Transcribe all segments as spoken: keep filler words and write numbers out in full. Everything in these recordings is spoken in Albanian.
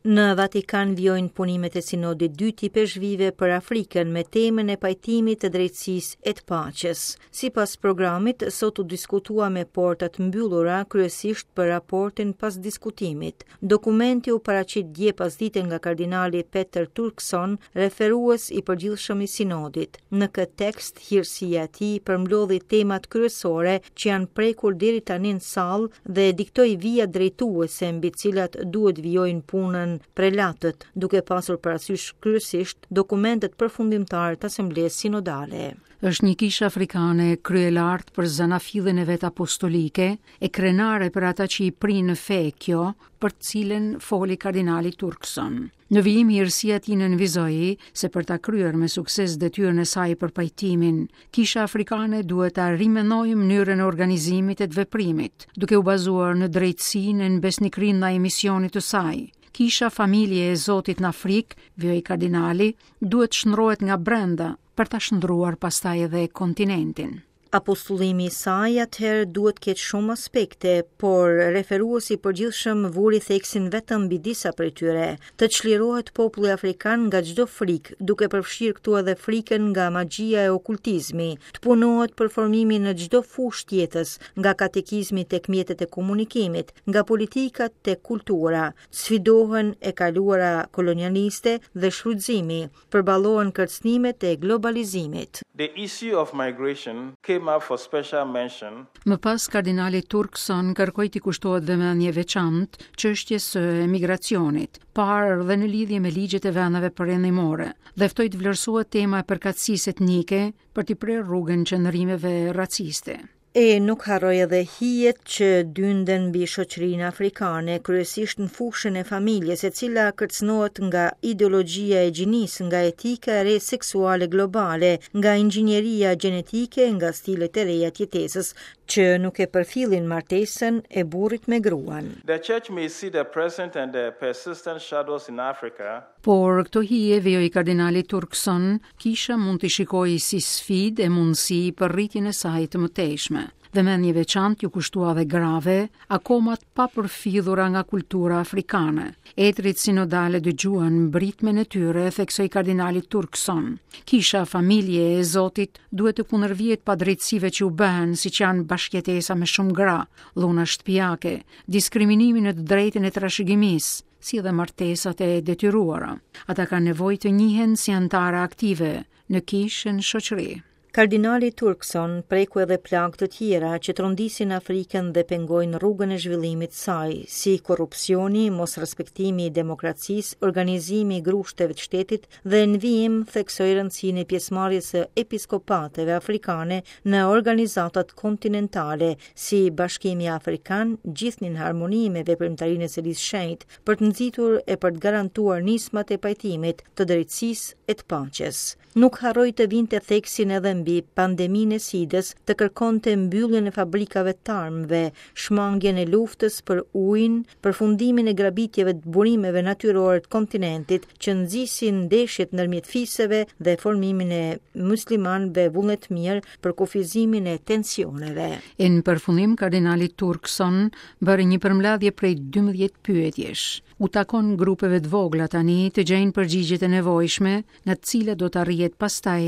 Në Vatikan vijojnë punimet e Sinodit dy të Ipeshkvijve për Afrikën me temën e pajtimit, të drejtësisë e të paqes. Sipas programit, sot u diskutua me portat mbyllura, kryesisht për raportin pas diskutimit. Dokumenti u paraqit dje pasdite nga kardinali Peter Turkson, referues i përgjithshëm i Sinodit. Në këtë tekst, hirësia e tij përmblodhi temat kryesore që janë prekur deri tani në sallë dhe diktoi vija drejtuese mbi cilat duhet vijojnë punën prelatët, duke pasur parasysh kryesisht dokumentet përfundimtare të Asamblesë Sinodale. Është një kishë afrikane kryelartë për zanafillën e vet apostolike e krenare për ata që i prinë në fe kjo, për të cilën foli kardinali Turkson. Në vijim, hirësia e tij nënvizoi se për ta kryer me sukses detyrën e saj për pajtimin, kisha afrikane duhet ta rimenojë mënyrën e organizimit e të veprimit, duke u bazuar në drejtësinë e në besnikërinë ndaj misionit të saj. Kisha familje e Zotit në Afrikë, vijoi kardinali, duhet shndrohet nga brenda për ta shndruar pastaj edhe kontinentin. Apostullimi i saj atëherë duhet ketë shumë aspekte, por referuesi i përgjithshëm vuri theksin vetëm mbi disa prej tyre. Të çlirohet populli afrikan nga çdo frikë, duke përfshirë këtu edhe frikën nga magjia e okultizmi, të punohet për formimin në çdo fushë të jetës, nga katekizmi tek mjetet e komunikimit, nga politika tek kultura, sfidohen e kaluara kolonialiste dhe shfrytëzimi, përballohen kërcënimet e globalizimit. The issue of migration came up for special mention. Më pas, kardinali Turkson kërkoi t'i kushtohet vëmendje veçantë çështjes së emigracionit, parë dhe në lidhje me ligjet e vendeve perëndimore, dhe ftoi të vlerësohet tema e përkatësisë etnike për t'i prerë rrugën qëndrimeve raciste. E nuk harroi edhe hijet që dynden mbi shoqërinë afrikane, kryesisht në fushën e familjes, e cila kërcënohet nga ideologjia e gjinisë, nga etika e re seksuale globale, nga inxhinieria gjenetike, nga stilet e reja të jetesës, që nuk e përfillin martesën e burrit me gruan. The church may see the present and the persistent shadows in Africa. Por këto hije, vijoi kardinali Turkson, kisha mund t'i shikojë si sfidë e mundësi për rritjen e saj të mëtejshme. Vëmendje veçantë ju kushtua dhe grave, akoma të papërfidhura nga kultura afrikane. Etërit sinodale dëgjuan britmën e tyre, theksoi kardinali Turkson. Kisha familje e Zotit duhet të kundërvihet padrejtësive që u bëhen, siç janë bashkëjetesa me shumë gra, dhuna shtëpiake, diskriminimi në të drejtën e trashëgimisë, si dhe martesat e detyruara. Ata kanë nevojë të njihen si anëtare aktive në kishën shoqëri. Kardinali Turkson preku edhe plagë të tjera që trondisin Afrikën dhe pengojnë rrugën e zhvillimit saj, si korrupsioni, mosrespektimi i demokracisë, organizimi i grushteve të shtetit dhe në vijim theksoi rëndësinë e pjesëmarrjes së episkopateve afrikane në organizatat kontinentale, si Bashkimi Afrikan, gjithnjë në harmoni me veprimtarinë e Selisë Shenjtë, për të nxitur e për të garantuar nismat e pajtimit, të drejtësisë e të paqes. Nuk harroi të vinte theksin edhe mbi pandeminë e sidës, të kërkonte mbylljen e fabrikave të armëve, shmangien e luftës për ujin, përfundimin e grabitjeve të burimeve natyrore të kontinentit që nxisin ndeshjet ndërmjet fiseve dhe formimin e muslimanëve vullnetmirë për kufizimin e tensioneve. E në përfundim, kardinali Turkson bëri një përmbledhje prej dymbëdhjetë pyetjesh. U takon grupeve të vogla tani të gjejnë përgjigjet e nevojshme, nga të cilat do të arrihet pastaj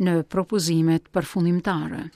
në propozimet përfundimtare.